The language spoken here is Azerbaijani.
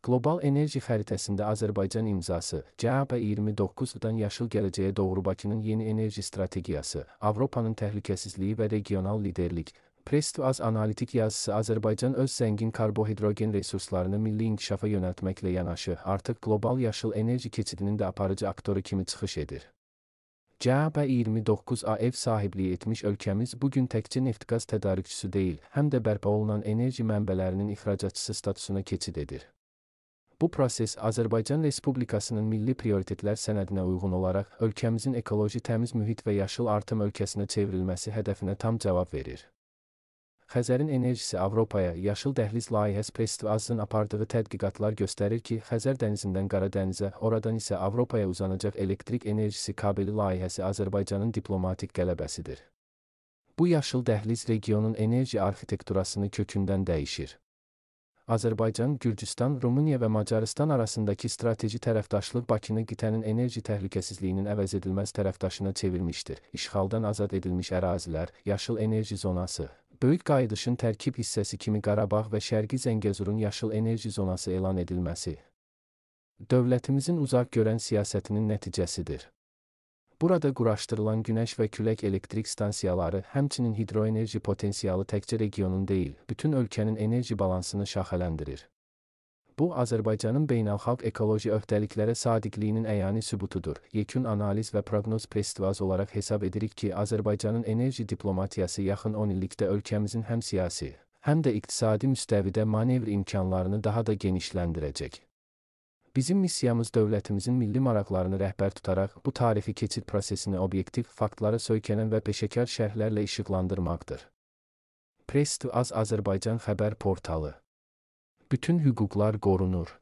Qlobal enerji xəritəsində Azərbaycan imzası, CAP 29-dan yaşıl gələcəyə doğru Bakının yeni enerji strategiyası, Avropanın təhlükəsizliyi və regional liderlik. Press2az analitik yazısı Azərbaycan öz zəngin karbohidrogen resurslarını milli inkişafa yönəltməklə yanaşı, artıq qlobal yaşıl enerji keçidinin də aparıcı aktoru kimi çıxış edir. CAP 29A ev sahibliyi etmiş ölkəmiz bugün təkcə neft-qaz tədarükçüsü deyil, həm də bərpa olunan enerji mənbələrinin ixracatçısı statusuna keçid edir. Bu proses Azərbaycan Respublikasının milli prioritetlər sənədinə uyğun olaraq ölkəmizin ekoloji təmiz mühit və yaşıl artım ölkəsinə çevrilməsi hədəfinə tam cavab verir. Xəzərin enerjisi Avropaya yaşıl dəhliz layihəsi Press2azın apardığı tədqiqatlar göstərir ki, Xəzər dənizindən Qara dənizə, oradan isə Avropaya uzanacaq elektrik enerjisi kabeli layihəsi Azərbaycanın diplomatik qələbəsidir. Bu yaşıl dəhliz regionun enerji arxitekturasını kökündən dəyişir. Azərbaycan, Gürcüstan, Rumıniya və Macarıstan arasındakı strateji tərəfdaşlıq Bakını qitənin enerji təhlükəsizliyinin əvəzedilməz tərəfdaşına çevirmişdir. İşğaldan azad edilmiş ərazilər, yaşıl enerji zonası, böyük qayıdışın tərkib hissəsi kimi Qarabağ və Şərqi Zəngəzurun yaşıl enerji zonası elan edilməsi dövlətimizin uzaq görən siyasətinin nəticəsidir. Burada quraşdırılan günəş və külək elektrik stansiyaları, həmçinin hidroenerji potensialı təkcə regionun deyil, bütün ölkənin enerji balansını şaxələndirir. Bu, Azərbaycanın beynəlxalq ekoloji öhdəliklərə sadiqliyinin əyani sübutudur. Yekun analiz və proqnoz Press2az olaraq hesab edirik ki, Azərbaycanın enerji diplomatiyası yaxın 10 illikdə ölkəmizin həm siyasi, həm də iqtisadi müstəvidə manevr imkanlarını daha da genişləndirəcək. Bizim missiyamız dövlətimizin milli maraqlarını rəhbər tutaraq bu tarixi keçid prosesini obyektiv, faktlara söykənən və peşəkar şərhlərlə işıqlandırmaqdır. Press2az Azərbaycan xəbər portalı. Bütün hüquqlar qorunur.